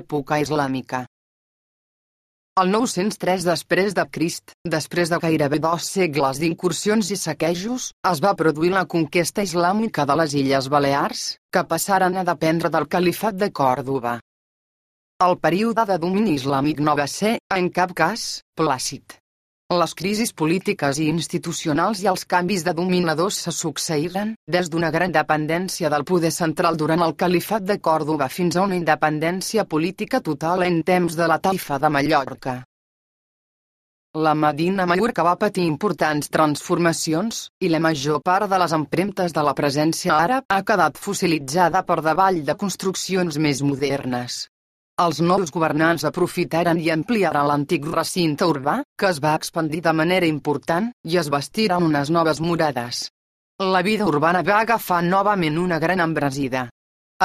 època islàmica. El 903 després de Crist, després de gairebé 2 segles d'incursions i saquejos, es va produir la conquesta islàmica de les Illes Balears, que passaren a dependre del califat de Còrdova. El període de domini islàmic no va ser, en cap cas, plàcid. Les crisis polítiques i institucionals i els canvis de dominadors se succeïren, des d'una gran dependència del poder central durant el califat de Còrdova fins a una independència política total en temps de la taifa de Mallorca. La Medina Mallorca va patir importants transformacions, i la major part de les empremtes de la presència àrab ha quedat fossilitzada per davall de construccions més modernes. Els nous governants aprofitaren i ampliaren l'antic recinte urbà, que es va expandir de manera important, i es bastiren unes noves murades. La vida urbana va agafar novament una gran embranzida.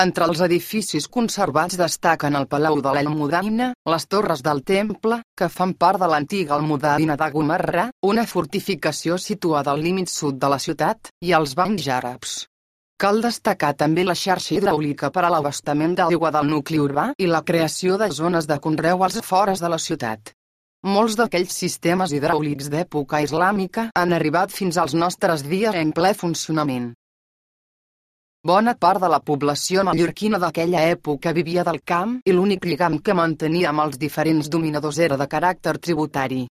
Entre els edificis conservats destaquen el Palau de l'Almudaina, les torres del Temple, que fan part de l'antiga Almudaina de Gomarra, una fortificació situada al límit sud de la ciutat, i els banys àrabs. Cal destacar també la xarxa hidràulica per a l'abastament d'aigua del nucli urbà i la creació de zones de conreu als afores de la ciutat. Molts d'aquells sistemes hidràulics d'època islàmica han arribat fins als nostres dies en ple funcionament. Bona part de la població mallorquina d'aquella època vivia del camp i l'únic lligam que mantenia amb els diferents dominadors era de caràcter tributari.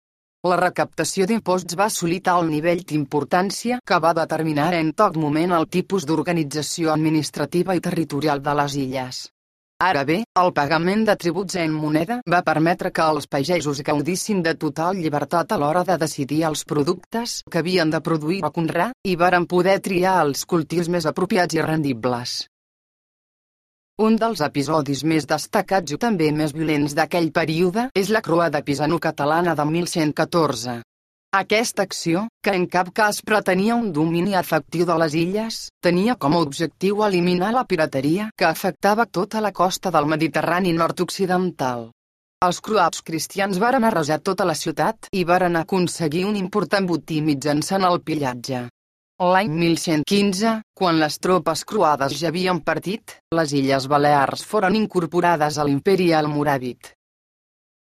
La recaptació d'imposts va assolir tal nivell d'importància que va determinar en tot moment el tipus d'organització administrativa i territorial de les illes. Ara bé, el pagament de tributs en moneda va permetre que els pagesos gaudissin de total llibertat a l'hora de decidir els productes que havien de produir o conrear, i varen poder triar els cultius més apropiats i rendibles. Un dels episodis més destacats i també més violents d'aquell període és la Croada pisano-catalana de 1114. Aquesta acció, que en cap cas pretenia un domini efectiu de les illes, tenia com a objectiu eliminar la pirateria que afectava tota la costa del Mediterrani nord-occidental. Els croats cristians varen arrasar tota la ciutat i varen aconseguir un important botí mitjançant el pillatge. L'any 1115, quan les tropes croades ja havien partit, les Illes Balears foren incorporades a l'imperi almoràvit.